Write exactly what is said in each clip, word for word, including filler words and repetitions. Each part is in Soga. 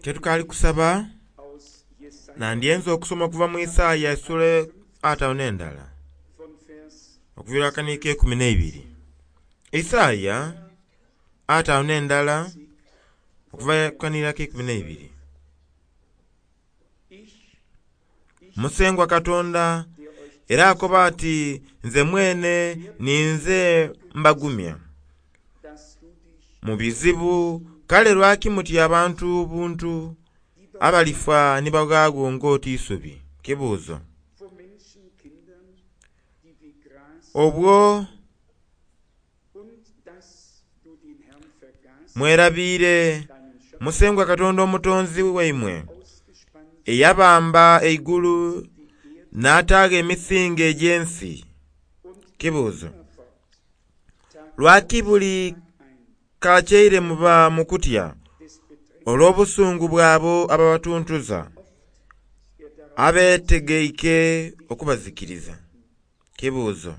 Kyetukaali kusaba nandyenze okusoma okuva mu Isaaya essuula ataanu n'endala okuviira akaniiko eikumi n'eibiri. Isaaya ataanu n'endala okuva akaniiko eikumi n'eibiri. Musengwa Katonda era akoba ati nze mwene ninze mbagumya mu bizibu. Kale lwaki mutya abantu buntu abalifa ni bagwagho ng'oti isubi? Kibuuzo. Obwo mwerabiire Musengwa Katonda Omutonzi waimwe eyabamba eigulu n'ataagho emisingi egy'ensi. Kibuuzo. Lwaki buli kakyeire muba mu kutya olw'obusungu bw'abo ababatuntuza abeetegeike okubazikiriza? Kibuuzo.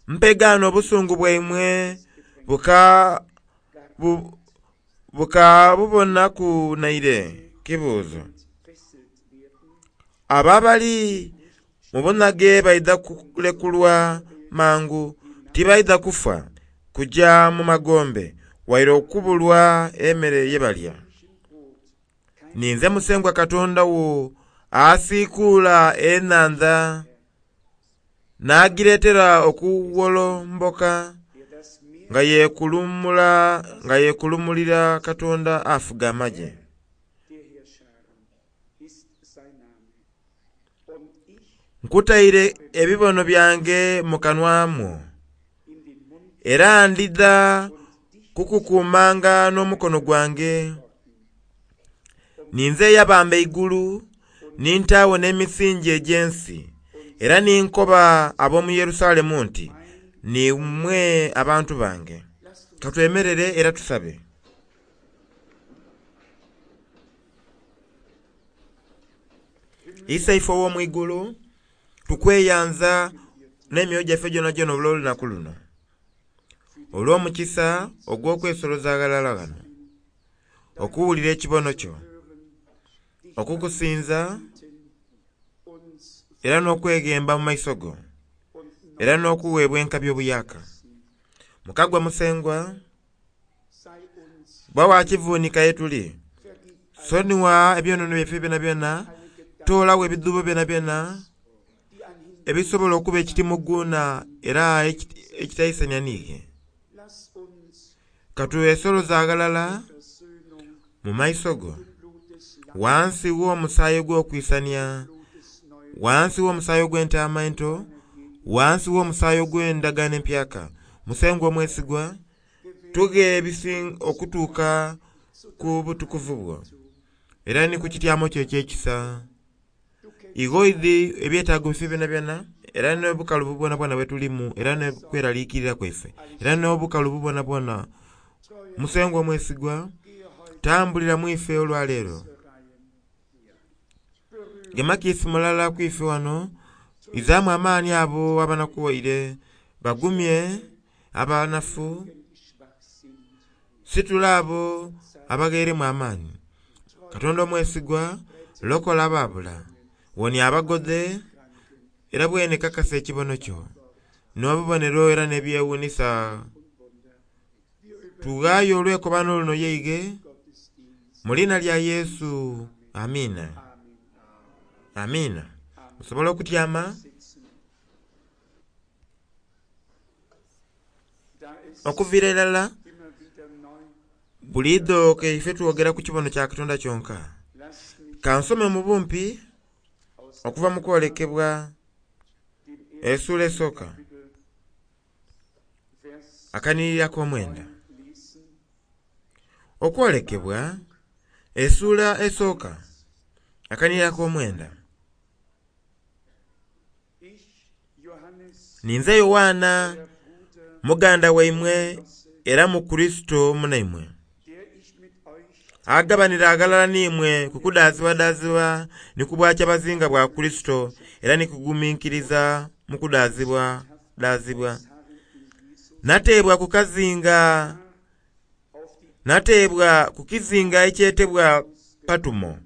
Mpegaano obusungu bwaimwe buka bu, bukabubonaku naire? Kibuuzo. Abo abali mu bunhage baidha kulekulwa mangu, tibaidha kufa kuja mu magombe waire okubulwa emere ye balya. Ninze Musengwa Katonda wo asiikuula enhandha n'agireetera okuwolomboka nga yeekulumula nga yeekulumulira Katonda afuga amagye. Nkutaire ebibono byange mu kanwa mwo, era ndidha kukukuumanga n'omukono gwange. Ninze eyabamba eigulu ni ntaagho n'emisingi egy'ensi, era ni nkoba ab'omu Yerusalemu nti, nimwe abantu bange. Katwemerere era tusabe. Iseife ow'omu igulu, tukweyanza n'emyoyo gyaife gyonagyona olw'olunaku luno, olw'omukisa ogw'okwesoloza aghalala ghano, okuwulira ekibono kyo, okukusinza era n'okweghemba mu maiso go, era n'okuweebwa enkabi obuyaaka. Mukagwa Musengwa, bba wa kivuunika ye tuli, sonigha ebyonoono byaife byonabyona, toolagho ebidhuubo byonabyona ebisobola okuba ekitimuguunha era ekitaisania niiwe. Katwesoloze aghalala mu maiso go, ghansi w'omusaayi ogw'okwisania, ghansi w'omusaayi ogw'entaama ento, ghansi w'omusaayi ogw'endagaano empyaka. Musengwa omwesigwa, tughe okutuuka ku butukuvu bwo era ni ku kityamo kyo eky'ekisa. Ighoidhi ebyetaago byaife byonabyona era n'obukalubu bwonabwona bwe tulimu era n'okweraliikirira kwaife era n'obukalubu bwonabwona. Musengwa omwesigwa, tambulira mu ife olwaleero. Gema kiisi mulala ku ife wano, izaamu amaani abo abanakuwaire, bagumye abanafu, situla abo abagheeremu amaani. Katonda omwesigwa, lokola abaabula, wonia abagodhe, era bwene kakasa ekibono kyo n'obubonero era n'ebyewuunhisa. Tughaayo olwekobaano luno yeighe mu liina lya Yesu, amiina. Amiina. Musobola okutyama okuviira irala buliidho kaife twogera ku kibono kya Katonda kyonka. Kansome mu bumpi okuva mu kwolekebwa essuula esooka akanhiriri ak'omwenda. Okwolekebwa essuula esooka akanhiriri ak'omwenda. Ninze Yoanna muganda waimwe era mu Kurisito munaimwe, agabanira aghalala n'imwe ku kudaazibwadaazibwa ni ku bwakyabazinga bwa Kurisito era ni kuguminkiriza mu kudaazibwadaazibwa. Nateebwa ku kazinga Nateebwa ku kizinga ekyetebwa Patumo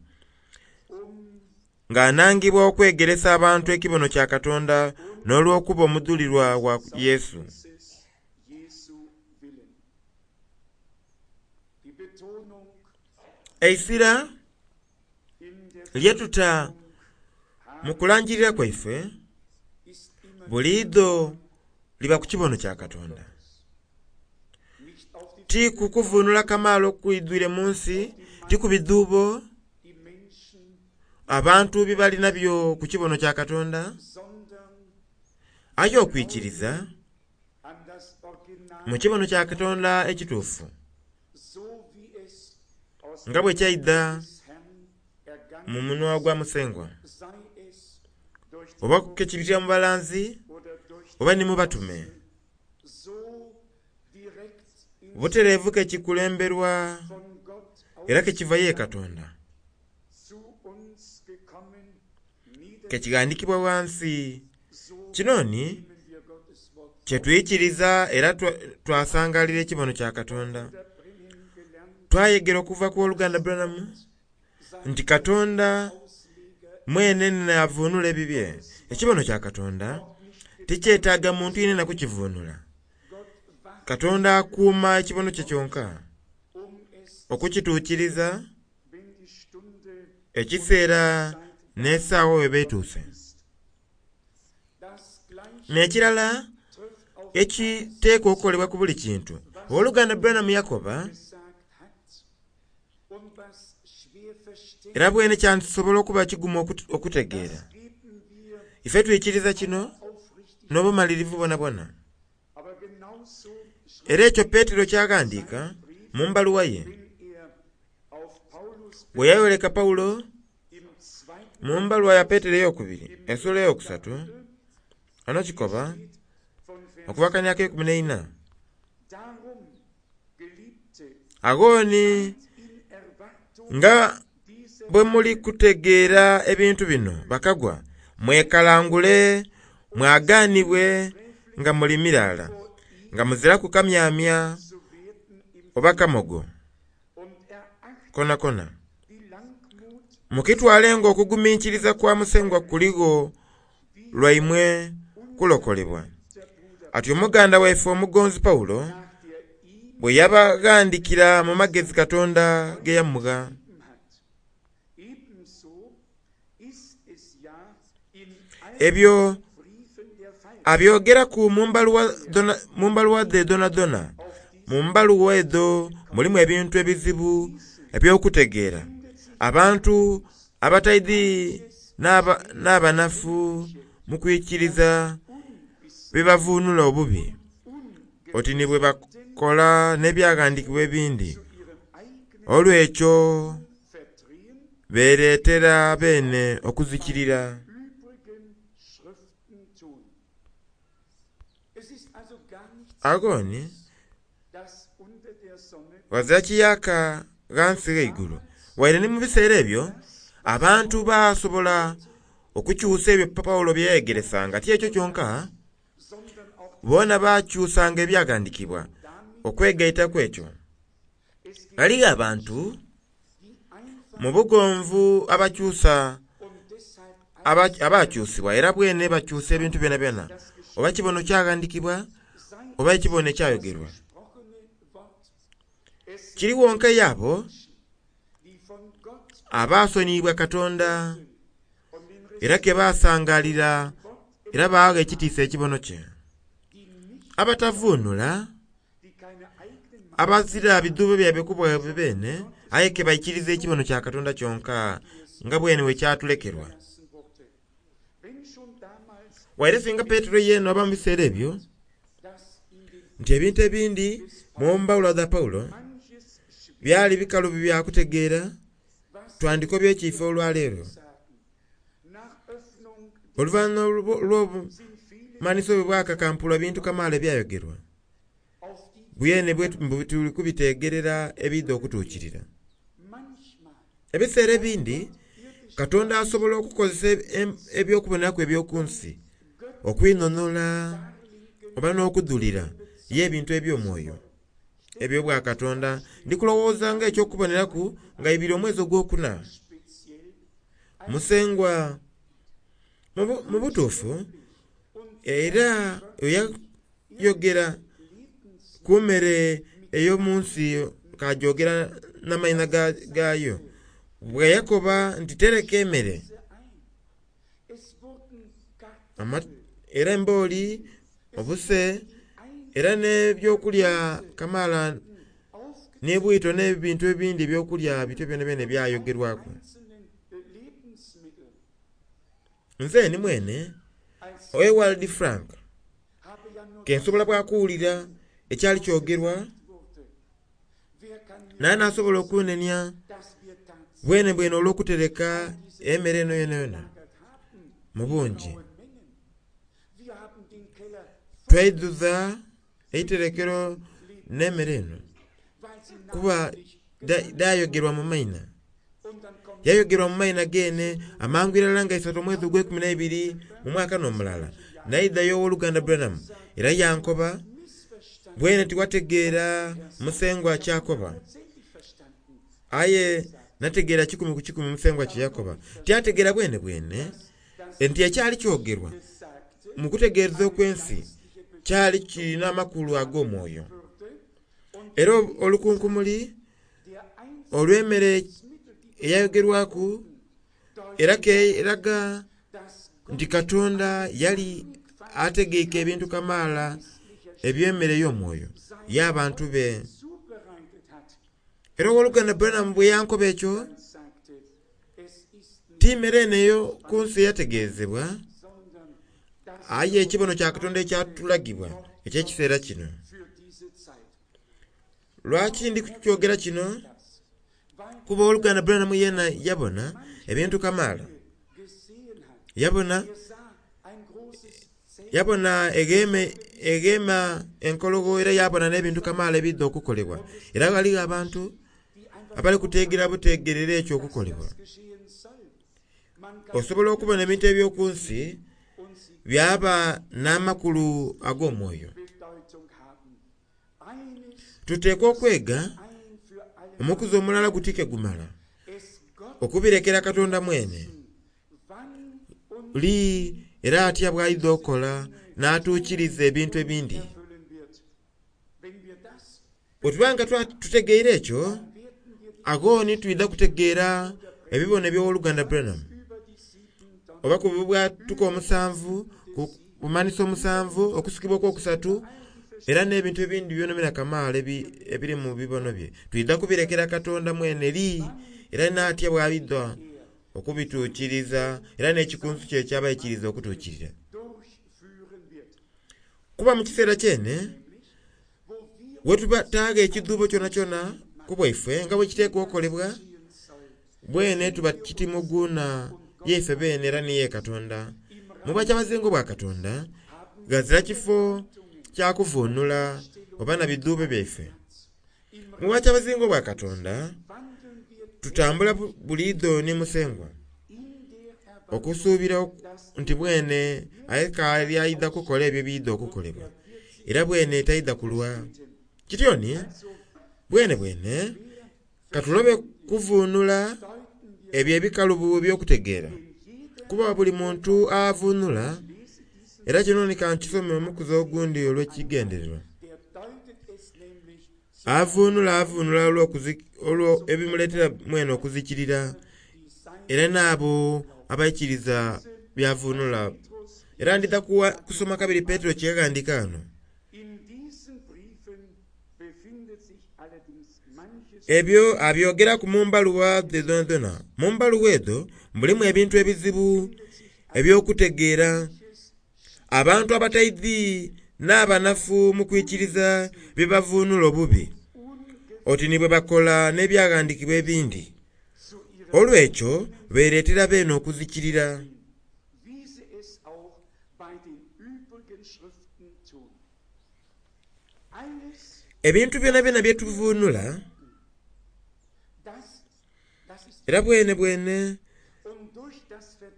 nga nangibwa okwegeresa abantu ekibono kya Katonda n'olw'okuba omudhulirwa wa Yesu. Eisira lyetuta mu kulangirira kwaife buliidho liba ku kibono kya Katonda. Ti ku kuvunula kamaala okwidwire mu nsi, ti ku bidhuubo abantu bye bali nabyo ku kibono kya Katonda, aye okwikiriza mu kibono kya Katonda ekituufu nga bwe kyaidha mu munwa gwa Musengwa, oba kekibitira mu balanzi oba ni mu batume. Butereevu kekikulemberwa era kekiva ye Katonda, kekighandhikibwa ghansi. Kino ni kyetwikiriza era twasangalira ekibono kya Katonda. Twayegera okuva ku oluganda Branham nti Katonda mwene naavunula ebibye. Ekibono kya Katonda tikyetaaga muntu yenena kukivunula. Katonda akuuma ekibono kye kyonka okukituukiriza ekiseera n'esaawa weba etuuse. N'ekirala ekiteekwa okukolebwa ku buli kintu, owooluganda Branham yakoba era bwene kyansobola okuba kigumu okutegeera. Ife twikiriza kino n'obumalirivu bwonabwona. Era ekyo Petero kyaghandiika mu mbaluwa ye bwe yayoleka Pawulo mu mbaluwa ya Petero ey'okubiri ensula eyokusatu, ano kikoba okuva akania ak'eikumi n'eina. Agho ni nga bwe muli kutegeera ebintu bino bakagwa, mwekalangule mwaganibwe nga muli miraala, nga muziraku kamyamya oba kamogo konakona. Mukitwale nga okuguminkiriza kwa Musengwa kuligho lwaimwe kulokolebwa. Atyo muganda waife omugonzi Pawulo bwe yabaghandikira mu magezi Katonda ge yamugha. Ebyo abyogeraku mu mbaluwa dhe dhonadhona. Mu mbaluwa edho mulimu ebintu ebizibu eby'okutegeera. Abantu abataidhi n'abanafu mu kwikiriza bibavunula obubi, oti ni bwe bakola n'ebyaghandiikibwa ebindi. Olw'ekyo beereetera beene okuzikirira. Agho ni ghazira kiyaaka ghansi gh'eigulu. Waire ni mu biseera ebyo abantu basobola okukyusa ebyo Pawulo bye yayegeresanga. Ti ekyo kyonka, boona bakyusanga ebyaghandiikibwa okwegaita ku ekyo. Ghaligho abantu mu bugonvu abakyusa abakyusibwa era bwene bakyusa ebintu byonabyona, oba kibono kyaghandiikibwa oba ekibono ekyayogerwa. Kiri wonka y'abo abaasoniyibwa Katonda era ke basangalira era baagha ekitiisa ekibono kye. Abatavunula, abazira bidhuubo byaibwe ku bwaibwe beene, aye ke baikiriza ekibono kya Katonda kyonka nga bwene bwe kyatulekerwa. Waire singa Petero yeena oba mu biseera ebyo nti ebintu ebindi mu mbaluwa dha Pawulo byali bikalubo bya kutegeera, twandikobye ekiifo olwaleero. Oluvannyuma lw'obumanhiso bwe bwakakampulwa bintu kamaala ebyayogerwa, bwene tuli kubitegerera ebiidha okutuukirira. Ebiseera ebindi Katonda asobola okukozesa eby'okuboneraku eby'oku nsi okwinhonhola oba n'okudhulira ye ebintu eby'omwoyo. eby'obwakatonda. Ndi kulowooza nga eky'okuboneraku nga ibiri omwezi ogwokuna. Musengwa mu butuufu era yayogera ku mmere ey'omu nsi kajogera n'amaina gaayo, bwe yakoba nti tereka emmere era embooli, obuse, era n'ebyokulya kamaala n'ebwito n'ebintu ebindi ebyokulya bityo byonabyona ebyayogerwaku. Nze ni mwene Ewald Frank ke nsobola bwakuwulira ekyali kyogerwa, naye nasobola okunenia bwene bwene olw'okutereka emmere eno yonayona mu bungi. Twaidhuza eiterekero n'emmere eno kuba dhayogerwa mu maina. Yayogerwa mu maina gene amangu irala nga isatu omwezi ogw'eikumi n'eibiri mu mwaka n'omulala. Naidhayo ow'oluganda Branham era yankoba bwene tiwategeera musengwa kyakoba, aye nategeera kikumi ku kikumi musengwa kye yakoba. Tyategeera bwene bwene nti ekyali kyogerwa mu kutegeereza okw'ensi kyali kirina amakulu ag'omwoyo. Era olukunkumuli olw'emmere eyayogerwaku era keraga nti Katonda yali ategeike ebintu kamaala eby'emmere ey'omwoyo y'abantu be. Era ow'oluganda Branham bwe yankoba ekyo, ti mmere eno ey'oku nsi eyategeezebwa, aye ekibono kya Katonda ekyatulagibwa eky'ekiseera kino. Lwaki ndi kukyogera kino? Kuba ow'oluganda Branham yena yabona ebintu kamaala. Yabona yabona eghema eghema enkologho era yabona n'ebintu kamaala ebidha okukolebwa. Era ghaligho abantu abali kuteegera buteegerera ekyo okukolebwa. Osobola okubona ebintu eby'oku nsi byaba n'amakulu ag'omwoyo. Tuteekwa okwega omukuzi omulala gutike gumala okubirekera Katonda mwene. Li era atya bw'aidha okukola n'atuukiriza ebintu ebindi. Bwe tuba nga tutegeire ekyo, agho ni twidha kutegeera ebibono eby'owoluganda Branham oba ku bubwatuka omusanvu, ku bumanhiso omusanvu, okusikibwa okw'okusatu, era n'ebintu ebindi byonabyona kamaala ebiri mu bibono bye. Twidha kubirekera Katonda mwene li era n'atya bw'aidha okubituukiriza era n'ekikunsu kye ekyabaikiriza okutuukirira. Kuba mu kiseera kyene wetuba taaga ekidhuubo kyonakyona ku bwaife nga bwe kiteekwa okukolebwa, bwene tuba kitimuguunha yaife beene era ni ye Katonda. Mu bwakyabazinga obwa Katonda ghazira kifo kya kuvuunula oba na bidhuubo byaife. Mu bwakyabazinga obwa Katonda tutambula buliidho ni Musengwa okusuubira nti bwene aye aidha kukola ebyo ebiidha okukolebwa, era bwene taidha kulwa. Kityo ni bwene bwene katulobe kuvuunula ebyo ebikalubo eby'okutegeera, kuba buli muntu avuunula, era kino ni kankisome omukuzi ogundi olw'ekigendererwa. Avuunula avuunula olwo ebimuleetera mwene okuzikirira, era n'abo abaikiriza byavuunula. Era ndidha kusoma kabiri Petero kye yaghandiika ghano. Ebyo abyogeraku mu mbaluwa dhe dhoonadhoona. Mu mbaluwa edho mulimu ebintu ebizibu eby'okutegeera. Abantu abataidhi n'abanafu mu kwikiriza bye bavuunula obubi, oti ni bwe bakola n'ebyaghandiikibwa ebindi. Olw'ekyo beereetera beene okuzikirira. Ebintu byonabyona bye tuvuunula era bwene bwene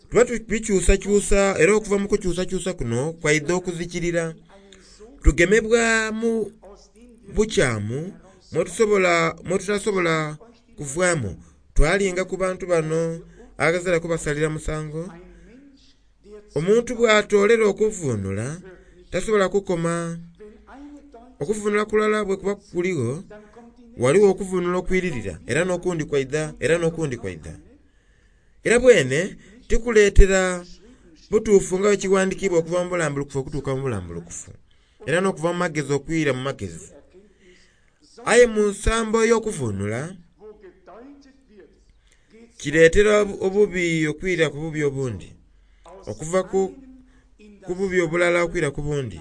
tuba tubikyusakyusa, era okuva mu kukyusakyusa kuno kwaidha okuzikirira. Tugemebwa mu bukyamu mwetusobola mwetutasobola kuvaamu. Twalinga ku bantu bano aghazira kubasalira musango. Omuntu bw'atoolera okuvuunula tasobola kukoma. Okuvuunula kulala bwe kuba kuligho, waliwo okuvuunula okwiririra, era n'okundi kwaidha, era n'okundi kwaidha. Era bwene tikuleetera butuufu nga bwe kiwandiikibwa okuva mu bulambulukufu okutuuka mu bulambulukufu, era n'okuva mu magezi okwira mu magezi. Aye mu nsambo ey'okuvuunula kireetera obubi okwira ku bubi obundi, okuva ku, ku bubi obulala okwira ku bundi.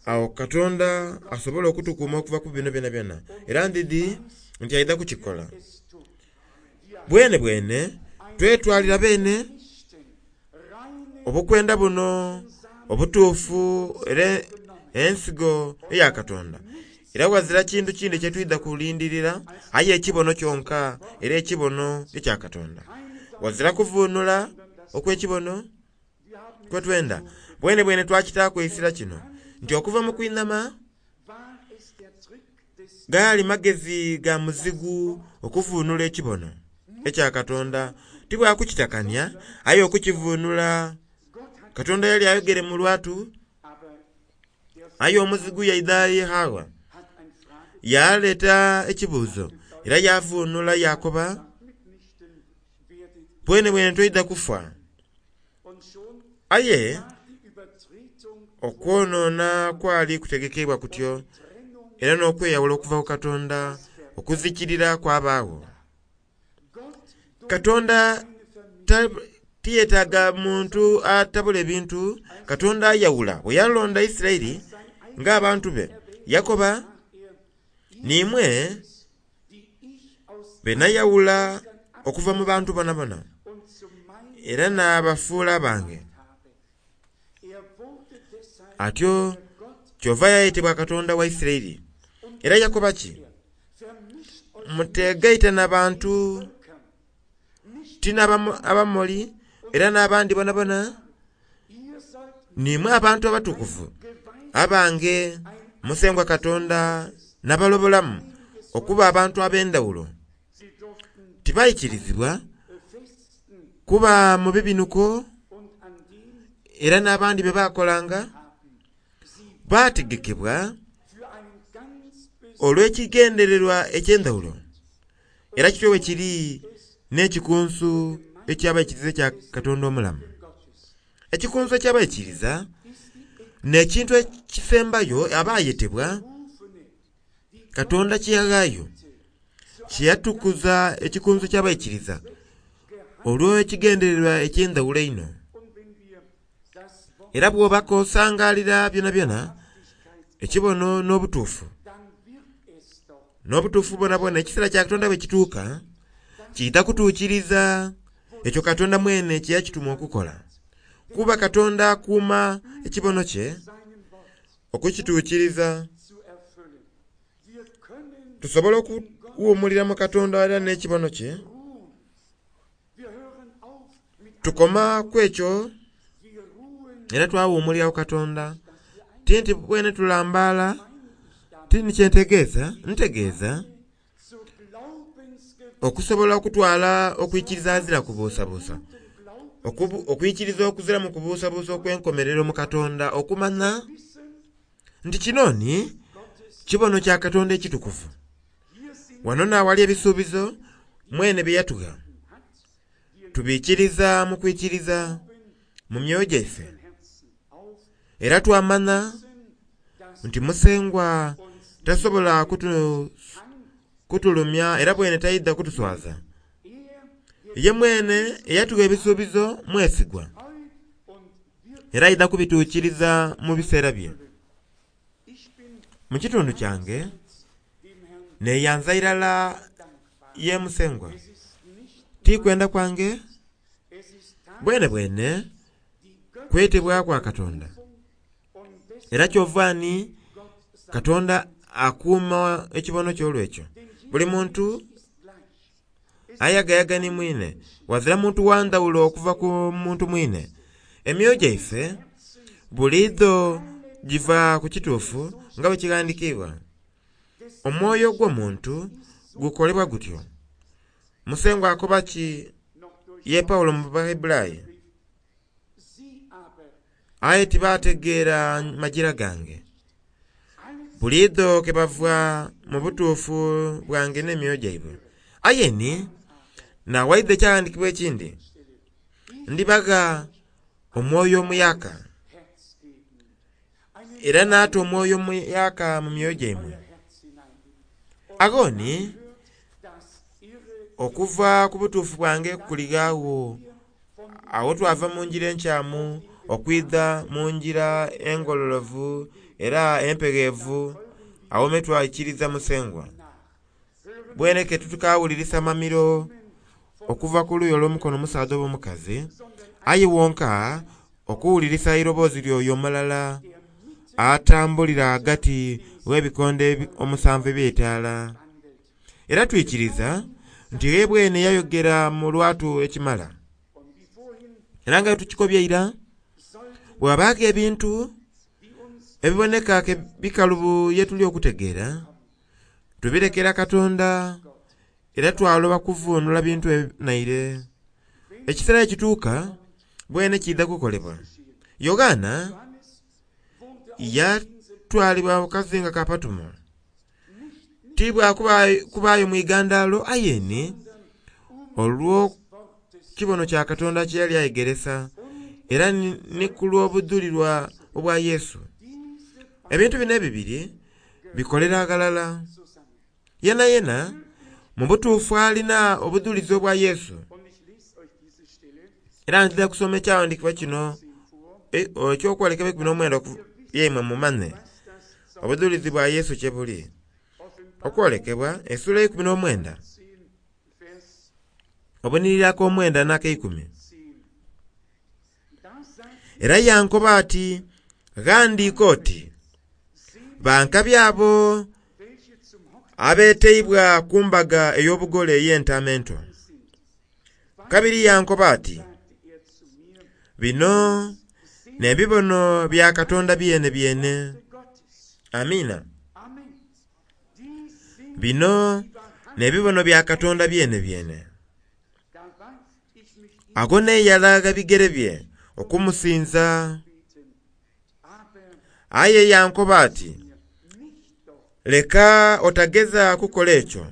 Awo Katonda asobola okutukuuma okuva ku bino byonabyona, era ndidi nti aidha kukikola. Bwene bwene twetwalira beene obukwenda buno obutuufu era ensigo eya Katonda. Era ghazira kintu kindi kyetwidha kulindirira aye ekibono kyonka, era ekibono ekya Katonda. Ghazira kuvuunula okw'ekibono kwetwenda. Bwene bwene twakitaaku eisira kino nti okuva mu kwinhama gaali magezi ga muzigu okuvuunula ekibono ekya Katonda. Ti bwakukitakania aye okukivuunula. Katonda yali ayogere mu lwatu, aye omuzigu yaidha ye Hawa yaleeta ekibuuzo era yavuunula yakoba, bwene bwene toidha kufa. Aye okwonoona kwali kutegekeibwa kutyo, era n'okweyawula okuva ku Katonda okuzikirira kwabaagho. Katonda tiyetaaga muntu atabula ebintu. Katonda ayawula. Bwe yalonda Isiraeli ng'abantu be, yakoba, niimwe be nayawula okuva mu bantu bonabona, era naabafuula bange. Atyo kyova yayetebwa Katonda wa Isiraeli. Era yakoba ki? Mutegaita na bantu, ti n'Abamoli era n'abandi bonabona. Nimwe abantu abatukuvu abange Musengwa Katonda n'abalobolamu okuba abantu ab'endhawulo. Tibaikirizibwa kuba mu bibinuko era n'abandi bye bakolanga. Baategekebwa olw'ekigendererwa eky'endhawulo. Era kityo bwe kiri n'ekikunsu eky'abaikiriza ekya Katonda omulamu. Ekikunsu eky'abaikiriza n'ekintu ekisembayo abayetebwa Katonda kye yaghaayo, kye yatukuza ekikunsu eky'abaikiriza olw'ekigendererwa eky'endhawulo einho. Era bw'oba k'osangalira byonabyona, ekibono n'obutuufu, n'obutuufu bwonabwona, ekiseera kya Katonda bwe kituuka, kiidha kutuukiriza ekyo Katonda mwene kye yakituma okukola. Kuba Katonda akuuma ekibono kye okukituukiriza. Tusobola okuwuumulira mu Katonda era n'ekibono kye. Tukoma ku ekyo era twawuumulira ku Katonda. Ti nti bwene tulambaala, ti ni kyentegeeza, ntegeeza okusobola okutwala okwikiriza azira kubuusabuusa, okwikiriza okuzira mu kubuusabuusa okw'enkomerero mu Katonda, okumanya nti kino ni kibono kya Katonda ekitukuvu. Wano n'awali ebisuubizo mwene bye yatugha. Tubiikiriza mu kwikiriza mu myoyo gyaife, era twamanya nti Musengwa tasobola kutu, kutulumya era bwene taidha kutuswaza. Ye mwene eyatugha ebisuubizo mwesigwa, era aidha kubituukiriza mu biseera bye. Mu kitundu kyange neyanza irala ye Musengwa. Ti kwenda kwange, bwene bwene kwetebwa kwa Katonda. Era kyova ni Katonda akuuma ekibono ky'olwekyo. Buli muntu ayagayaga ni mwine, wazira muntu wa ndhawulo okuva ku muntu mwine. Emyoyo gyaife buliidho giva ku kituufu nga bwe kighandikiibwa. Omwoyo gw'omuntu gukolebwa gutyo. Musengwa akoba ki ye Pawulo mu Bahebulaayi, aye tibategeera majira gange. Buliidho ke bava mu butuufu bwange n'emyoyo gyaibwe. Aye ni nawaidha ekyawandiikibwa ekindi, ndibagha omwoyo omuyaka era naata omwoyo omuyaka mu myoyo gyaimwe. Agho ni okuva ku butuufu bwange kulighaagho. Awo twava mu ngira enkyamu okwidha mu ngira engololovu era empegheevu, awo me twaikiriza Musengwa. Bweneke titukawulirisa mamiro okuva ku luuyi olw'omukono omusaadha oba omukazi, aye wonka okuwulirisa eiroboozi ly'oyo omulala atambulira ghagati gh'ebikondo omusanvu eby'eitaala. Era twikiriza nti ye bwene yayogera mu lwatu ekimala. Era nga tukikobye ira, bw'abaagho ebintu ebiboneka ke bikalubu ye tuli okutegeera, tubirekera Katonda era twaloba kuvunula bintu naire. Ekiseera ekituuka bwene kiidha kukolebwa. Yoanna yatwalibwa ku kazinga ka Patumo, ti bwa kubaayo mu igandalo aye ni olw'ekibono kya Katonda kye yali ayegeresa era ni ku lw'obudhulirwa obwa Yesu. Ebintu bino ebibiri bikolera ghalala. Yena yena mu butuufu alina obudhulizi obwa Yesu. Era nzija kusoma ekyawandiikibwa kino eky'okwolekebwa eikumi n'omwenda yaimwe mumanye obudhulizi bwa Yesu kye buli. Okwolekebwa essuula eikumi n'omwenda obunhiriri ak'omwenda n'akeikumi. Era yankoba ati, ghandiika oti, bankabi abo abeeteibwa ku mbaga ey'obugole ey'Entaama Ento. Kabiri yankoba ati, bino n'ebibono bya Katonda byene byene. Amiina. Bino n'ebibono bya Katonda byene byene. Ago neeyala bigere bye okumusinza. Aye yankoba ati, leka otageza kukola ekyo.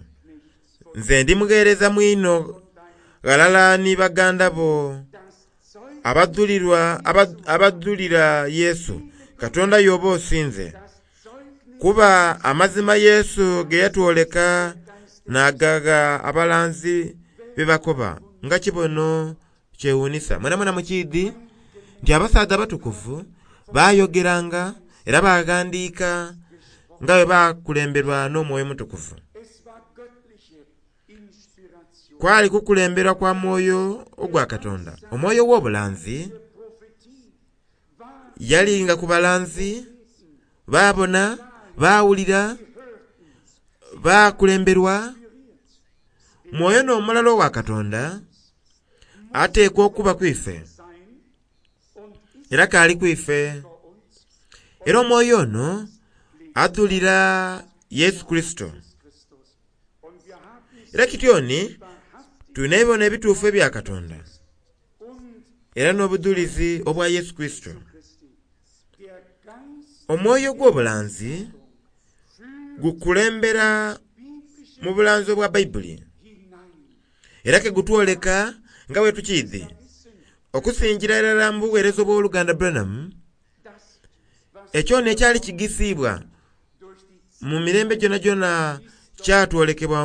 Nze ndi mugheereza mwino ghalala ni baganda bo abadhulirwa abadhulira Yesu, Katonda y'oba osinze. Kuba amazima Yesu ge yatwoleka n'agagha abalanzi bye bakoba nga kibono kyewuunisa. Mwenamwena mukiidhi nti abasaadha abatukuvu bayogeranga era baghandiika nga bwe bakulemberwa n'Omwoyo Omutukuvu. Kwali kukulemberwa kwa mwoyo ogwa Katonda. Omwoyo ow'obulanzi yalinga ku balanzi, baabona, baawulira, bakulemberwa. Mwoyo n'omulala owa Katonda ateekwa okuba ku ife, era kaali ku ife. Era omwoyo ono adhulira Yesu Kurisito. Era kityoni tulina ebibono ebituufu ebya Katonda era n'obudhulizi obwa Yesu Kurisito. Omwoyo ogw'obulanzi gukulembera mu bulanzi obwa Baibuli era ke gutwoleka nga bwe tukiidhi okusingira irala mu buweereza obw'oluganda Branham, ekyoni ekyali kigisiibwa mu mirembe gyonagyona kyatwolekebwa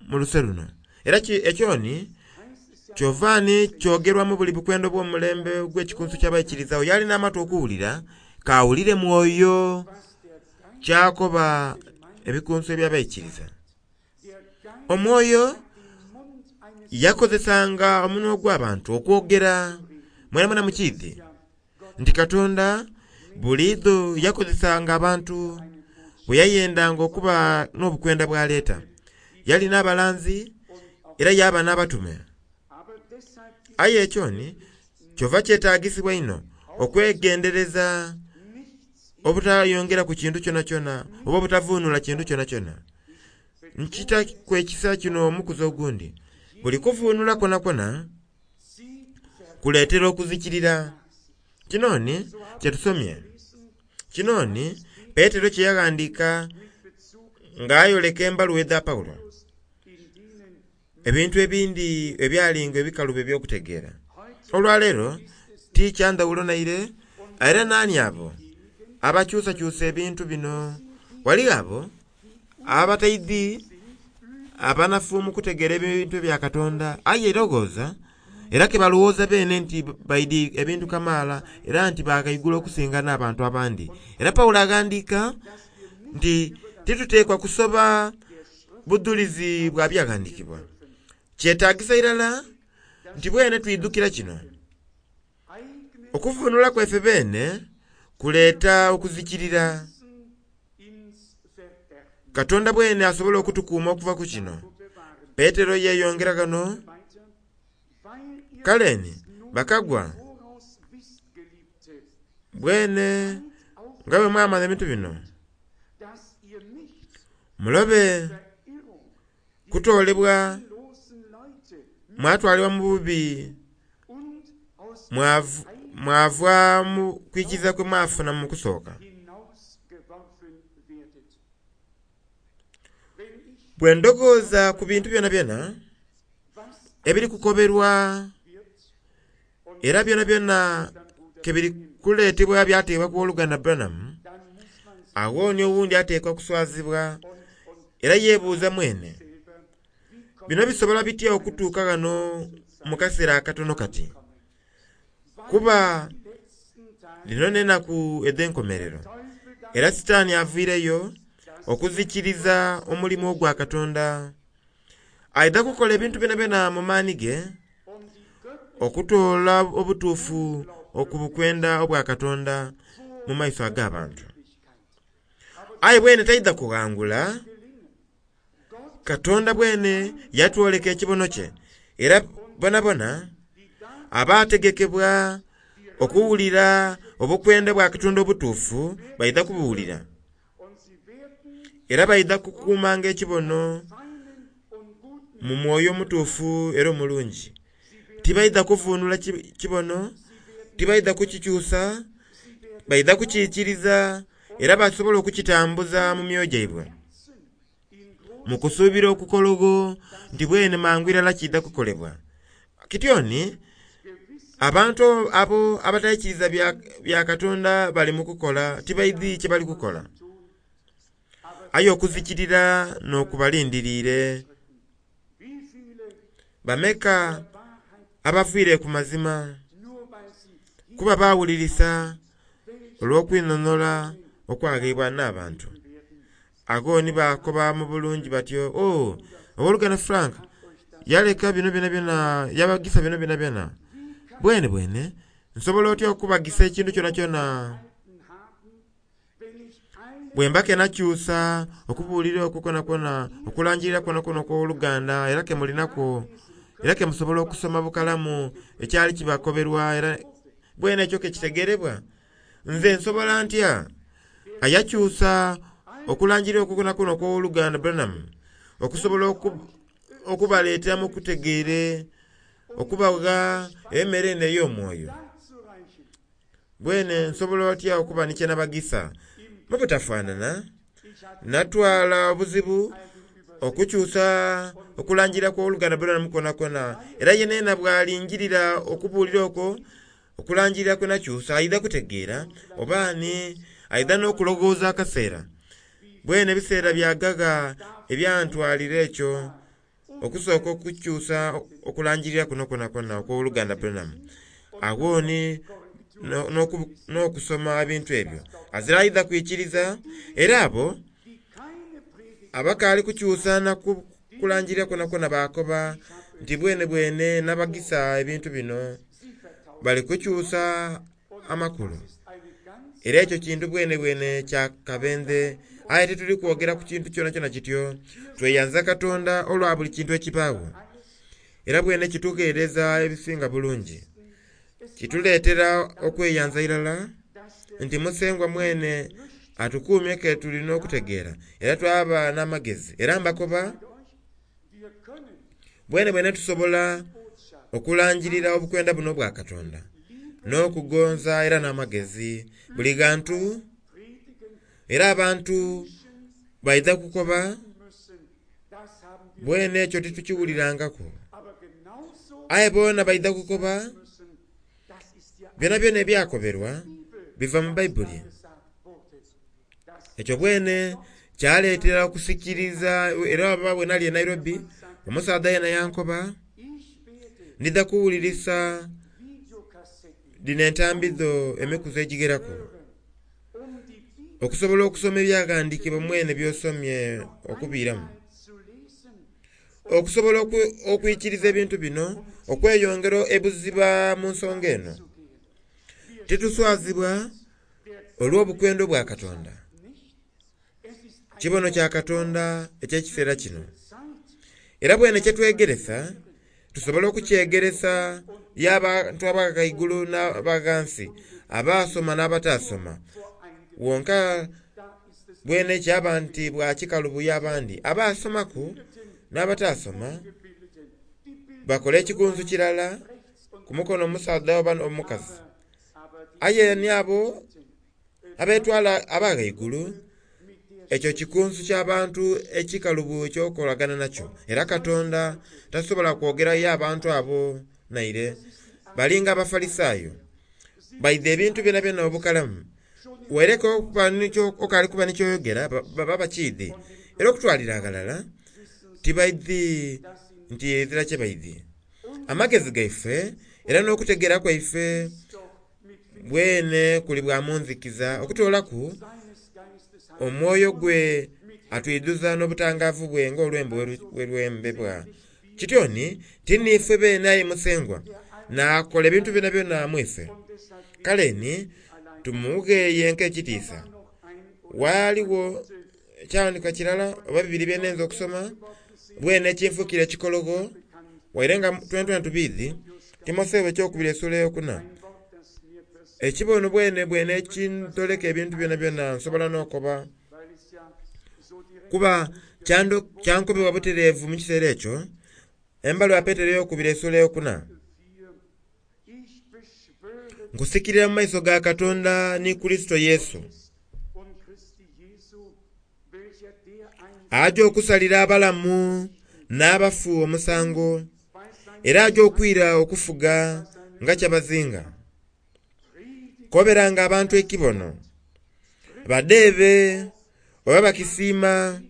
mu luse luno. Era ekyoni kyova ni kyogerwa mu buli bukwenda obw'omulembe ogw'ekikunsu ky'abaikiriza. Oyo alina amatu okuwulira kawulire mwoyo kyakoba ebikunsu eby'abaikiriza. Omwoyo yakozesanga omunwa ogw'abantu okwogera. Mwenamwena mukiidhi nti Katonda buliidho yakozesanga abantu bwe yayendanga okuba n'obukwenda bw'aleeta. Yalina abalanzi era yaba n'abatume. Aye ekyoni kyova kyetagisibwa inho okwegendereza obutayongera ku kintu kyonakyona oba obutavunula kintu kyonakyona. Nkita kwekisa kino omukuzi ogundi. Buli kuvuunula kwona kwona kuleetera okuzikirira. Kino ni kyetusomye. Kino ni Petero kye yaghandiika nga ayoleka embaluwa edha Pawulo. Ebintu ebindi ebyalinga ebikalubo eby'okutegeera. Olwaleero ti kya ndhawulo naire, era naani abo abakyusakyusa ebintu bino? Ghaligho abo abataidhi abanafu mu kutegeera ebintu ebya Katonda, aye lowooza era ke balowooza beene nti baidhi ebintu kamaala era nti baghaigulu okusinga n'abantu abandi. Era Pawulo aghandiika nti tituteekwa kusoba budhulizi bwa byaghandiikibwa. Kyetaagisa irala nti bwene twidhukira kino. Okuvuunula kwaife beene kuleeta okuzikirira. Katonda bwene asobola okutukuuma okuva ku kino. Petero yeeyongera ghano, kale ni bakagwa bwene nga bwe mwamanya ebintu bino, mulobe kutoolebwa mwatwalibwa mu bubi mwav- mwava mu kwikiriza kwe mwafuna mu kusooka. hinausgeworfen werdet. Wenn ich Bwe ndowooza ku bintu byonabyona was ebiri kukoberwa wird und era byonabyona ke biri kuleetebwa byateebwa ku Oluganda Branham, dann muss man sich awo ni owundi ateekwa kuswazibwa und, und era yeebuuza mwene. selber, wie kommt Bino bisobola bitya okutuuka ghano mu kaseera akatono kati? Kuba die letzten Tage lino n'ennaku edh'enkomerero. Teufel da Era Sitaani aviireyo okuzikiriza omulimu ogwa Katonda. Aidha kukola ebintu byonabyona mu maani ge um die göttliche okutoola obutuufu okubukwenda obwa Katonda mu maiso ag'abantu. Aye bwene taidha kughangula. gelingen. Gott, Katonda bwene yatwoleka ekibono kye era bonabona die da abaategekebwa okuwulira obukwenda bwa Katonda obutuufu baidha kubuwulira. und sie werden Era baidha kukuumanga ekibono feinen und guten mu mwoyo omutuufu era omulungi. Tibaidha kuvuunula ki- kibono, tibaidha kukikyusa, baidha kukiikiriza era basobola okukitambuza mu myoyo gyaibwe. Herzen in großer Mu kusuubira okukologo nti bwene mangu irala kiidha kukolebwa. Kityoni Gewiss abantu abo abataikiriza bya, bya Katonda bali mu kukola tibaidhi kye bali kukola. tun, aber Aye okuzikirira n'okubalindiriire. wie viele Bameka Wahrheit abafiire ku mazima nur weil sie kuba baawulirisa olw'okwinhonhola okwagheebwa n'abantu. Ago ni bakoba mu bulungi batyo, "Oh, owooluganda Frank yaleka bino byonabyona, yabagisa bino byonabyona. Bwene bwene nsobola otya okubagisa ekintu kyonakyona haben, wenn ich alle bwe mba ke nakyusa okubuulira okwo kwonakwona, okulangirira kwonakwona okw'oluganda era ke mulinakwo, era ke musobola okusoma bukalamu ekyali kibakoberwa era bwene ekyo ke kitegeerebwa. Nze nsobola ntya?" Ayakyusa okulangirira okwo kwonakwona okw'oluganda Branham okusobola oku- okubaleetera mu kutegeere, okubagha emmere eno ey'omwoyo. darzureichen, Bwene nsobola otya okuba ni kye nabagisa? Mu butafaanana, ich hatte natwala obuzibu okukyusa okulangira kw'oluganda Branham kwonakwona era yenena bw'alingirira okubuulira okwo okulangirira kwe nakyusa aidha kutegeera oba ani aidha n'okulowooza akaseera. Bwene ebiseera byagaga ebyantwalira ekyo okusooka okukyusa okulangirira kuno kwonakwona okw'oluganda Branham. Awo ni no- n'oku- n'okusoma ebintu ebyo. Azira aidha kwikiriza era abo die keine Predigt abakaali kukyusa na ku- kulangirira kwonakwona baakoba nti bwene bwene nabagisa ebintu bino sie vertauschen bali kukyusa amakulu. ist eine ganz Era ekyo kintu bwene bwene kya kabenze aye tituli kwogera ku kintu kyonakyona kityo. Tweyanza Katonda olwa buli kintu ekibaawo. Era bwene kitugheereza ebisinga bulungi. Kituleetera okweyanza irala dass der nti Musengwa mwene Atukuumye ke tulina okutegeera era twaba n'amagezi. Era mbakoba bwene bwene tusobola okulangirira obukwenda buno obwa Katonda n'okugonza era n'amagezi buli ghantu. Era abantu baidha kukoba bwene ekyo titukiwulirangaku, aye boona baidha kukoba byonabyona ebyakoberwa biva mu Baibuli. Ekyo bwene kyaleetera okusikiriza. Era oba bwenali e Nairobi, omusaadha yena yankoba, ndidha kuwulirisa dhino entambi dho emikuzi egigheraku okusobola okusoma ebyaghandhikibwa mwene byosomye okubiiramu, okusobola okwikiriza ebintu bino okweyongera ebuziba mu nsonga eno. Tituswazibwa olw'obukwenda obwa Katonda. Kibono kya Katonda eky'ekiseera kino. Era bwene kyetwegeresa tusobola okukyegeresa y'abantu abaghaigulu n'abaghansi, abasoma n'abatasoma. Wonka bwene kyaba nti bwakikalubuya abandi abasomaku n'abatasoma bakola ekikunsu kirala ku mukono omusaadha oba omukazi. Aye ni abo abetwala abaghaigulu, ekyo kikunsu ky'abantu ekikalubu ekyokolagana nakyo. Era Katonda tasobola kwogerayo abantu abo naire. Balinga Abafalisaayo, baidha ebintu byonabyona obukalamu. Wereka okali kuba ni kyoyogera baba bakiidhi. Era okutwalira aghalala tibaidhi nti ezira kyebaidhi. Amagezi gaife era n'okutegeera kwaife bwene kuli bwa munzikiza, okutoolaku omwoyo gwe atwidhuza n'obutangavu bwe ng'olwembo bwe lwembebwa. Kityo ni ti niife beene aye Musengwa n'akola ebintu byonabyona mu ife. Kale ni tumugheeye nk'ekitiisa. Ghaligho ekyawandiikibwa kirala oba bibiri bye nhenza okusoma bwene ekinfuukira ekikologho, waire nga twenatwena tubiidhi. Timotheo ekyokubiri esula eyokuna. Ekibono bwene bwene ekintoleka ebintu byonabyona nsobola n'okoba, kuba kyankobebwa butereevu mu kiseera ekyo. Embaluwa ya Petero eyokubiri esula eyokuna. Nkusikirira mu maiso ga Katonda ni Kurisito Yesu, aja okusalira abalamu n'abafu omusango, era aja okwira okufuga nga kyabazinga. Koberanga abantu ekibono, badeebe oba bakisiima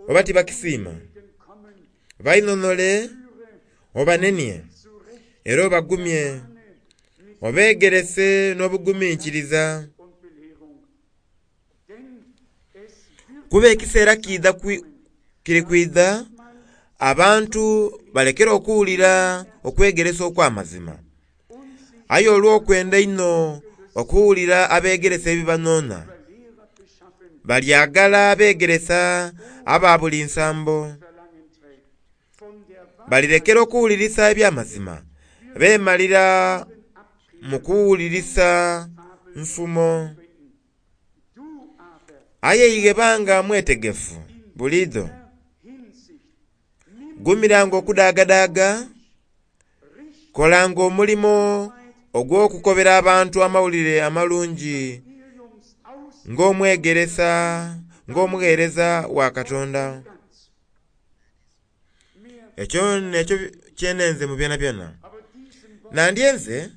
oba tibakisiima, bainhonhole obanenie era obagumye, obegerese n'obuguminkiriza. Kuba ekiseera kiidha kiri kwidha abantu balekere okuwulira okwegeresa okw'amazima, aye olw'okwenda einho okuwulira abegeresa ebibanonha, balyagala abegeresa aba buli nsambo. Balirekera okuwulirisa eby'amazima, beemalira mu kuwulirisa nfumo. Aye ighe banga mwetegefu buliidho, gumiranga okudaagadaaga, kolanga omulimo ogw'okukobera abantu amawulire amalungi ng'omwegeresa, ng'omugheereza wa Katonda. Ekyo n'ekyo kyenenze mu byonabyona. Nandyenze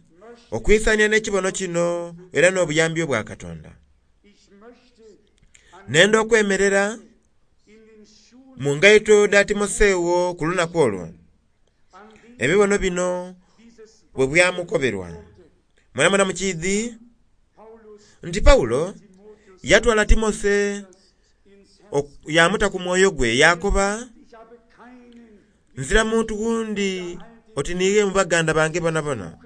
okwisania n'ekibono kino era n'obuyambi obwa Katonda. Nenda okwemerera mu ngaito dha Timoseewo ku lunaku olwo, ebibono bino bwe byamukoberwa. Mwenamwena mukiidhi nti Pawulo yatwala Timose yamuta ku mwoyo gwe, yakoba, nzira muntu gundi oti niighe mu baganda bange bonabona.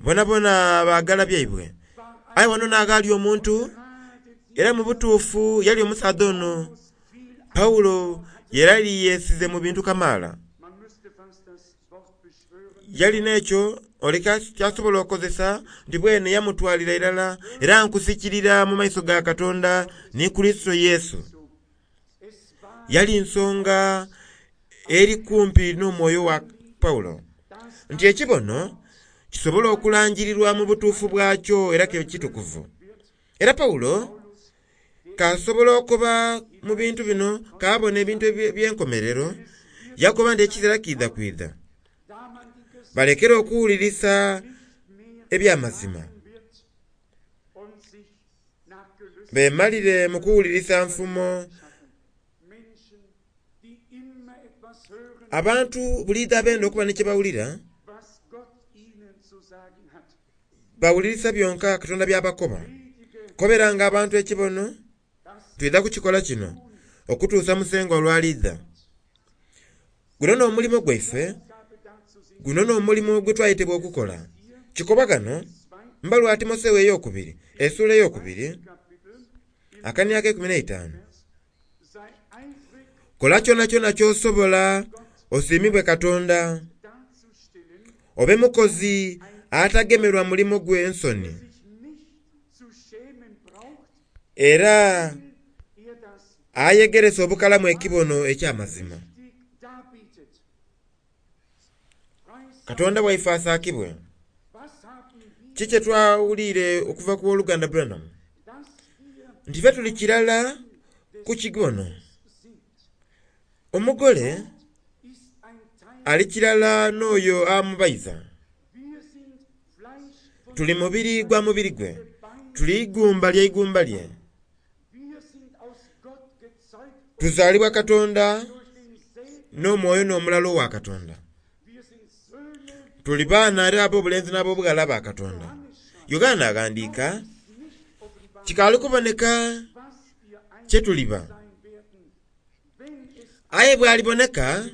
Bonabona baagala byaibwe. Aye wano n'aghali omuntu, era mu butuufu yali omusaadha ono Pawulo yali yeesize mu bintu kamaala. Yalina ekyo oleka kyasobola okukozesa nti bwene yamutwalira irala era nkusikirira mu maiso ga Katonda ni Kurisito Yesu. Yali nsonga eri kumpi n'omwoyo wa Pawulo nti ekibono kisobola okulangirirwa mu butuufu bwakyo era ke kitukuvu. Era Pawulo kasobola okuba mu bintu bino kabona ebintu eby'enkomerero yakoba nti ekiseera kiidha kwidha balekere okuwulirisa eby'amazima bemalire mu kuwulirisa nfumo. Abantu buliidho abenda okuba ni kyebawulira bawulirisa byonka Katonda byabakoba. Koberanga abantu ekibono twidha kukikola kino okutuusa Musengwa olwalidha. Guno n'omulimu gwaife, guno n'omulimu gwe twayetebwa okukola. Kikoba ghano mbaluwa Timoseewo ey'okubiri essuula ey'okubiri akania ak'eikumi n'eitaanu. Kola kyonakyona ky'osobola osiimibwe Katonda, obe mukozi atagemerwa mulimo gwe nsoni, era ayegeresa obukalamu ekibono eky'amazima. Katonda waife asaakibwe. Ki kye twawulire okuva ku woluganda Branham nti ffe tuli kirala ku kibono. Omugole ali kirala n'oyo amubaiza. Tuli mubiri gwa mubiri gwe, tuli igumba lya igumba lye. Tuzaalibwa Katonda n'omwoyo n'omulala owa Katonda. Tuli baana era ab'obulenzi n'ab'obughala ba Katonda. Yokaana aghandiika kikaali kuboneka kye tuliba, aye bw'aliboneka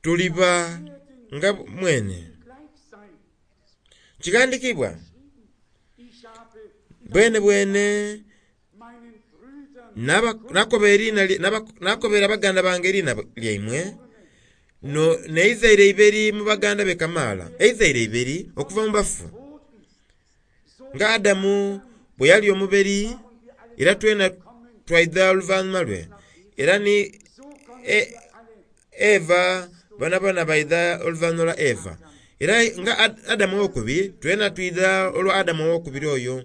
tuliba nga mwene. Kighandiikibwa bwene bwene nakobera baganda bange eriina lyaimwe n'eizaire iberi mu baganda be kamaala, eizaire iberi okuva mu bafu. Nga Adamu bwe yali omuberi era twena twaidha oluvannyuma lwe, era ni Eva bonabona baidha oluvannyuma lwa Eva. Era nga Adamu ow'okubiri twena twidha olwa Adamu ow'okubiri oyo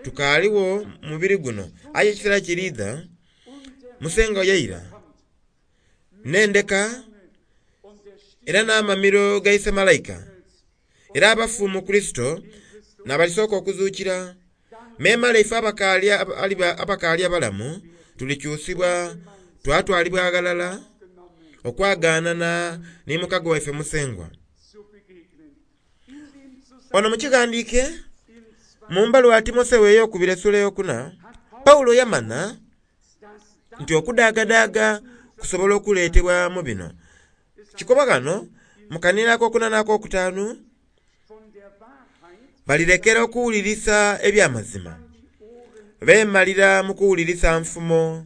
tukaaliwo mu mubiri guno. Aye ekiseera kiriidha Musengwa yaira n'endeka era n'amamiro gaise malayika, era abafu mu Kurisito n'abalisooka okuzuukira. Memale ife abakaali abalamu tulikyusibwa twatwalibwa aghalala okwagaanana ni mukago waife Musengwa. Ono mu kighandiike mu mbaluwa Timoseewo ey'okubiri essuula ey'okuna, Pawulo yamanya nti okudaagadaaga kusobola okuleetebwa mu bino. Kikoba ghano mu kanira ak'okuna n'ak'okutaanu balirekera okuwulirisa eby'amazima beemalira mu kuwulirisa nfumo.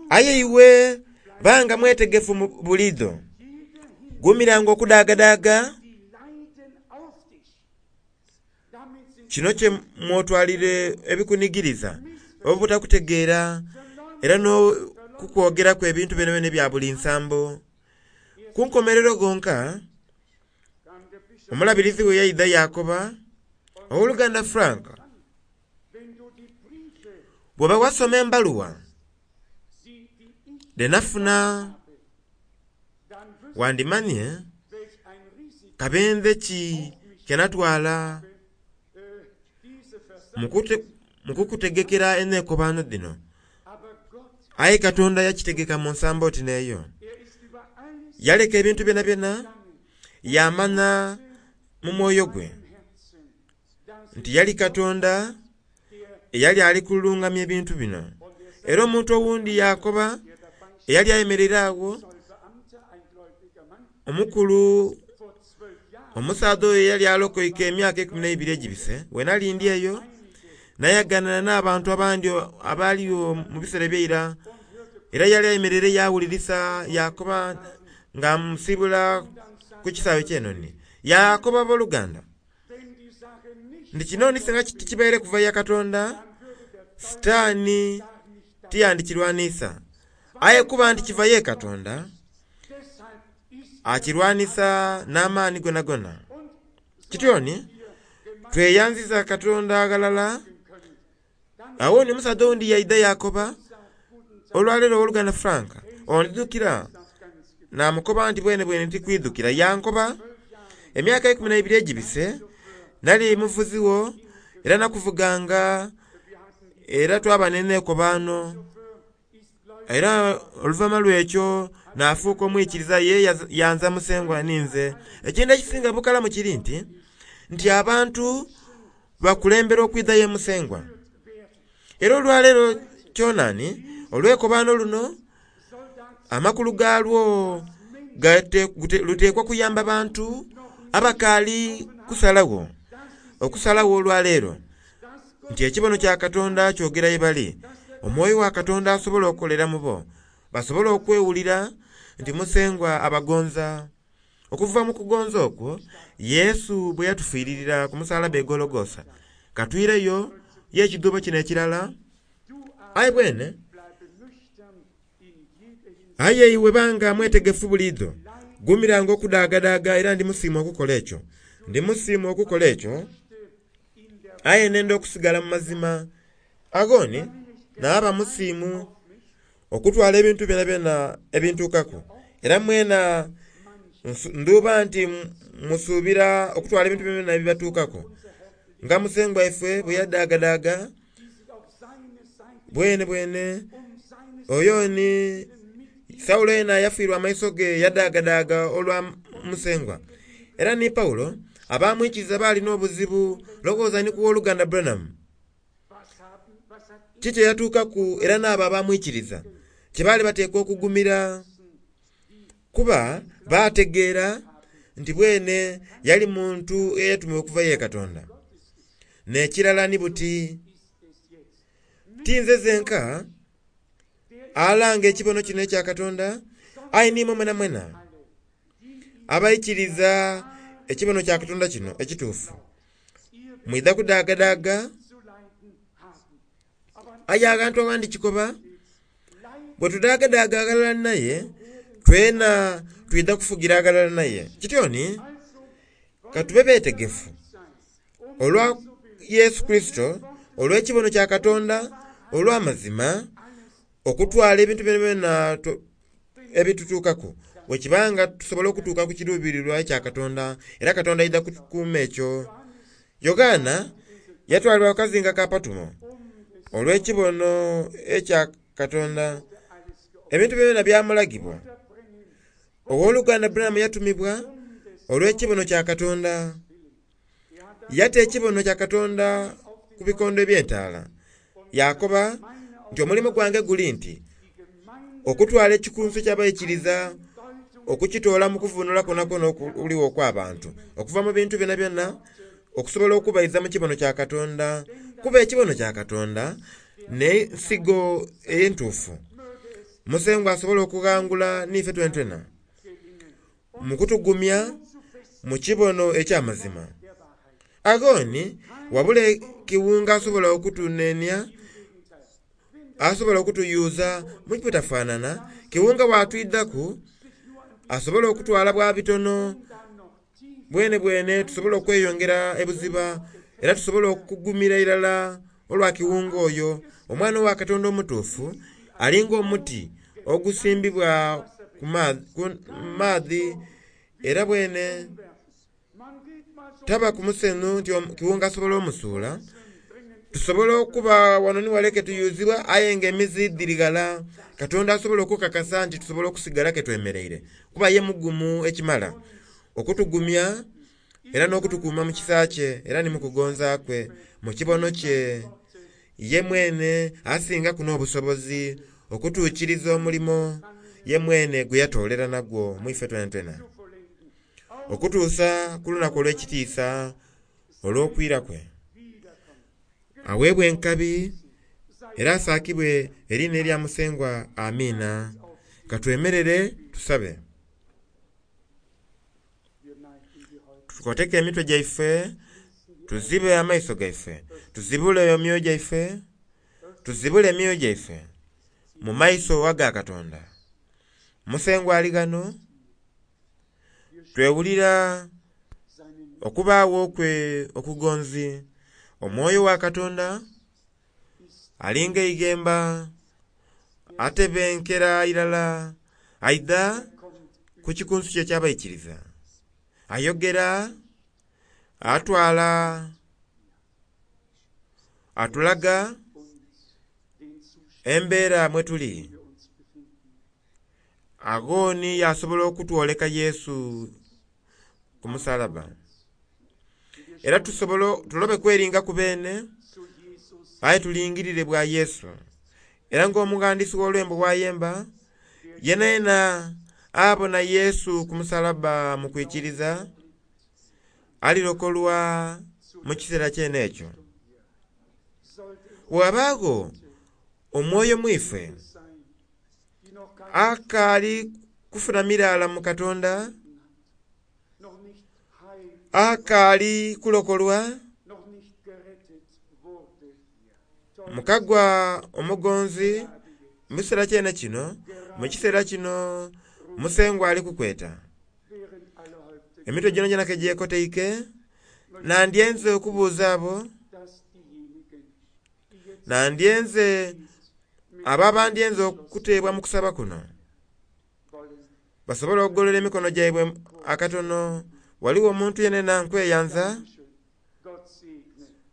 Aye iwe banga mwetegefu buliidho, gumiranga okudaagadaaga kino kye mwotwalire ebikunigiriza obutakutegeera era n'okukwogeraku ebintu byonabyona ebya buli nsambo. Ku nkomerero gonka omulabirizi we yaidha yakoba, ow'oluganda Frank, bw'oba wasoma embaluwa dhenafuna wandimanye kabenze ki kenatwala mu kukutegekera enneekobano dhino. Aye Katonda yakitegeka mu nsambo oti n'eyo. Yaleka ebintu byonabyona yamanya mu mwoyo gwe nti yali Katonda eyali ali kulungamya ebintu bino. Era omuntu owundi yakoba eyali ayemereire agho omukulu omusaadha oyo eyali alokoike emyaka eikumi n'eibiri egibise, wenali ndi eyo nayaganana n'abantu abandi abaaliwo mu biseera eby'eira, era yali ayemereire yawulirisa yakoba Nga musibula ku kisaawe ky'enoni. Yakoba abooluganda nti kino nisinga tikibaire kuva ya Katonda, Sitaani tiyandikirwanisa. Aye kuba nti kiva ye Katonda, akirwanisa n'amaani gonagona. Kityoni tweyanziza Katonda aghalala. Awo ni omusaadha owundi yaidha yakoba, olwaleero owooluganda Frank, ondidhukira? Namukoba nti bwene bwene ntikwidhukira. Yankoba, emyaka ikumi na ibiri egibise, nali muvuzi wo era nakuvuganga, era twaba n'enekobano. Era oluvannyuma lw'ekyo nafuuka omwikiriza ye yanza musengwa ninze. Ekintu ekisinga bukalamu kiri nti, nti abantu bakulembera okwidha ye musengwa. Era olwaleero kyonani, olwekobano luno, amakulu galwo luteekwa kuyamba bantu abakaali kusalawo, okusalawo olwaleero nti ekibono kya Katonda kyogera ye bali. Omwoyo wa Katonda asobola okukolera mu bo, basobole okwewulira nti musengwa abagonza. Okuva mu kugonza okwo, Yesu bwe yatufiiririra ku musalaba e Gologosa, katwireyo y'ekidhuubo kino ekirala. Aye bwene, aye iwe banga mwetegefu buliidho, gumiranga okudaagadaaga era ndi musiimu okukola ekyo. Ndi musiimu okukola ekyo, aye nenda okusigala mu mazima. Agoni naaba musiimu okutwala ebintu byona byona ebintuukaku. Era mwena ndhuba nti musuubira okutwala ebintu byona byona ebibatuukaku. Nga musengwa ifwe bwe yadaagadaaga, bwene bwene oyo ni Saulo yena yafiirwa amaiso ge yadaagadaaga olwa musengwa. Era ni Paulo abamwikiriza baalina obuzibu, lowooza ni ku wooluganda Branham. Kiki eyatuukaku era n'abo abamwikiriza kye baali bateekwa okugumira, kuba baategeera nti bwene yali muntu eyatumibwa okuva ye Katonda. N'ekirala ni buti, tinze zenka alanga ekibono kino ekya Katonda, aye nimwe mwena mwena abaikiriza ekibono kya Katonda kino ekituufu. Mwidha kudaagadaaga, aye aghantu aghandi kikoba, bwe tudaagadaaga aghalala naye, twena twidha kufugira aghalala naye. Kityoni, katube beetegefu olwa Yesu Kristo, olw'ekibono kya Katonda, olw'amazima, okutwala ebintu byona byona ebitutuukaku. Bwekibanga tusobola okutuuka ku kiruubirirwa ekya Katonda, era Katonda aidha kutukuuma ekyo. Yokaana yatwalibwa ku kazinga ka Patumo olw'ekibono ekya Katonda. Ebintu byona byamulagibwa. Owooluganda Branham yatumibwa olw'ekibono kya Katonda. Yata ekibono kya Katonda ku bikondo eby'entaala. Yakoba nti omulimu gwange guli nti okutwala ekikunsu ky'abaikiriza okukitoola mu kuvunula kwonakwo okuliwo okw'abantu, okuva mu bintu byona byona okusobola okubaiza mu kibono kya Katonda. Kuba ekibono kya Katonda n'ensigo entuufu. Musengwa asobola okughangula n'ife twenatwena mu kutugumya mu kibono eky'amazima. Agoni wabula kiwunga asobola okutunenia, asobola okutuyuza mu butafaanana. Kiwunga bwatwidhaku asobola okutwala bwa bitono, bwene bwene tusobola okweyongera ebuziba, era tusobola okugumira irala olwa kiwunga oyo. Omwana wa Katonda omutuufu alinga omuti ogusimbibwa ku maadhi, era bwene taba ku musenu nti kiwunga asobola omusuula. Tusobola okuba wano ni wale ketuyuzibwa, aye nga emizi dhiri ghala. Katonda asobola okukakasa nti tusobola okusigala ketwemereire, kuba ye mugumu ekimala okutugumya era n'okutukuuma mu kisa kye era ni mu kugonza kwe, mu kibono kye. Ye mwene asingaku n'obusobozi okutuukiriza omulimo ye mwene gwe yatoolera nagwo mu ife twenatwena, okutuusa ku lunaku olw'ekitiisa olw'okwira kwe. Aweebwe enkabi era asaakibwe eriina erya Musengwa. Amiina. Katwemerere tusabe. Tukoteke emitwe gyaife, tuzibe amaiso gaife, tuzibule emyoyo gyaife, tuzibule emyoyo gyaife mu maiso aga Katonda. Musengwa ali ghano, twewulira okubaagho kwe okugonzi. Omwoyo wa Katonda alinga eighemba atebenkera irala aidha ku kikunsu kye eky'abaikiriza. Ayogera, atwala, atulaga embeera mwetuli. Agho ni yasobola okutwoleka Yesu ku musalaba. Era tusobola tulobe kweringaku bene, aye tulingirire bwa Yesu. Era nga omughandisi gh'olwembo bwayemba, yena yena abona Yesu ku musalaba mu kwikiriza, alirokolwa mu kiseera kyene ekyo. Bweghabaagho omwoyo mu ife akaali kufuna miraala mu Katonda, akaali kulokolwa, mukagwa omugonzi mu kiseera kyene kino, mu kiseera kino Musengwa ali kukweta. Emitwe gyonagyona kegyekoteike, nandyenze okubuuza abo, nandyenze abo abandyenze okuteebwa mu kusaba kuno basobole okugolola emikono gyaibwe akatono. Ghaligho omuntu yenayena nkweyanza,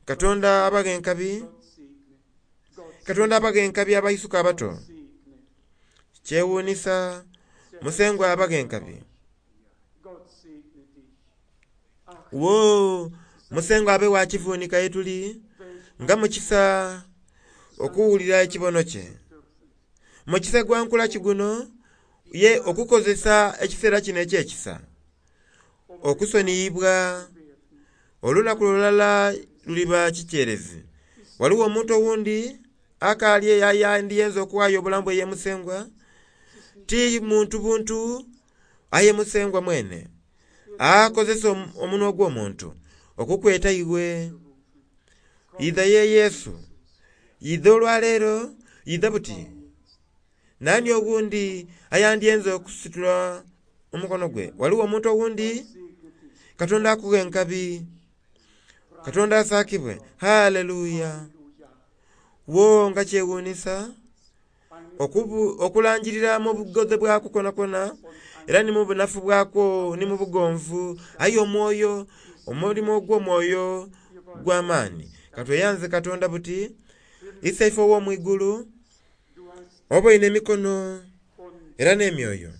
Katonda abaghe enkabi, Katonda abaghe enkabi abaisuka abato. Kyewuunhisa Musengwa abaghe enkabi. Woo! Musengwa abe gha kivunika ye tuli nga mukisa okuwulira ekibono kye. Mukisa gwa nkula ki guno ye okukozesa ekiseera kino eky'ekisa okusoniyibwa olunaku lulala luliba kikyerezi. Ghaligho omuntu oghundhi akaali eyo ayandyenze okughaayo obulamu bwe ye Musengwa? Ti muntu buntu aye Musengwa mwene akozesa omunhwa ogw'omuntu okukweta iwe. Idha ye Yesu, idha olwaleero, idha buti. Nani oghundhi ayandyenze okusitula omukono gwe? Ghaligho omuntu oghundhi? Katonda akughe enkabi, Katonda asakibwe. Haleluya! Wo nga kyewuunhisa okulangirira mu bugodhe bwakwo kwonhakwonha era ni mu bunafu bwakwo ni mu bugonvu, aye omwoyo, omulimo ogw'omwoyo gw'amaani. Katweyanze Katonda buti Iseife ow'omwigulu oboine emikono era n'emyoyo.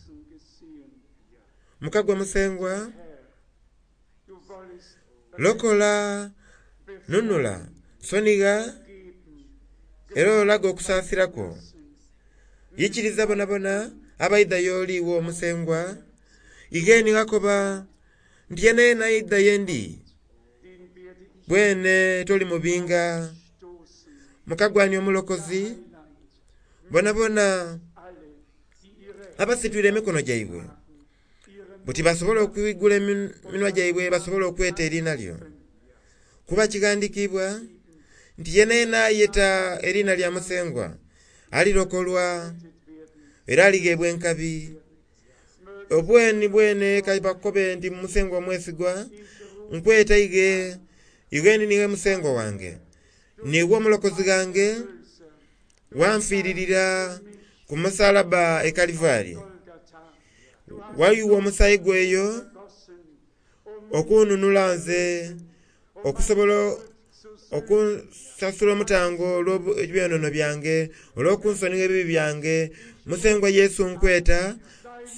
Mukagwa Musengwa, lokola, nunula, sonigha era olaga okusaasira kwo. Ikiriza bonabona abaidha y'oli iwe Omusengwa, ighe ghakoba nti yena yena aidha yendi bwene toli mubinga. Mukagwa ni omulokozi, bonabona abasitwire emikono gyaibwe buti basobole okwigula eminhwa gyaibwe basobole okweta eriina lyo. Kuba kighandhikiibwa nti yena yena ayeta eriina lya Musengwa alirokolwa era aligheebwa enkabi. Obweni bwene kabakobe nti Musengwa omwesigwa, nkweta ighe, ighe niiwe Musengwa wange, niiwe omulokozi ghange, wanfiiririra ku musalaba e Kalivari. Wayuwa omusaayi gwo eyo okunhunhula nze okusobola okusasula omutango olw'ebyonoono byange, olw'okunsonigha ebibi byange. Musengwa Yesu nkweta,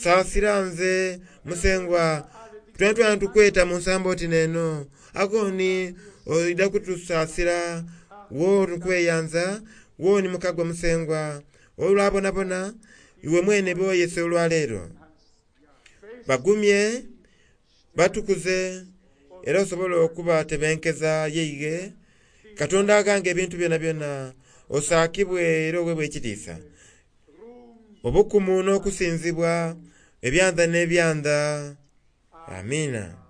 saasira nze Musengwa. Twena twena tukweta mu nsambo oti n'eno. Agho ni oidha kutusaasira, wo tukweyanza, wo ni mukagwa Musengwa. Olwabonabona iwe mwene b'oyese olwaleero. Bagumye, batukuze, era osobole okubatebenkeza yeighe. Katonda aghanga ebintu byonabyona, osaakibwe era oghebwe ekitiisa. Obukumu n'okusinzibwa ebyanda n'ebyanda. Amiina.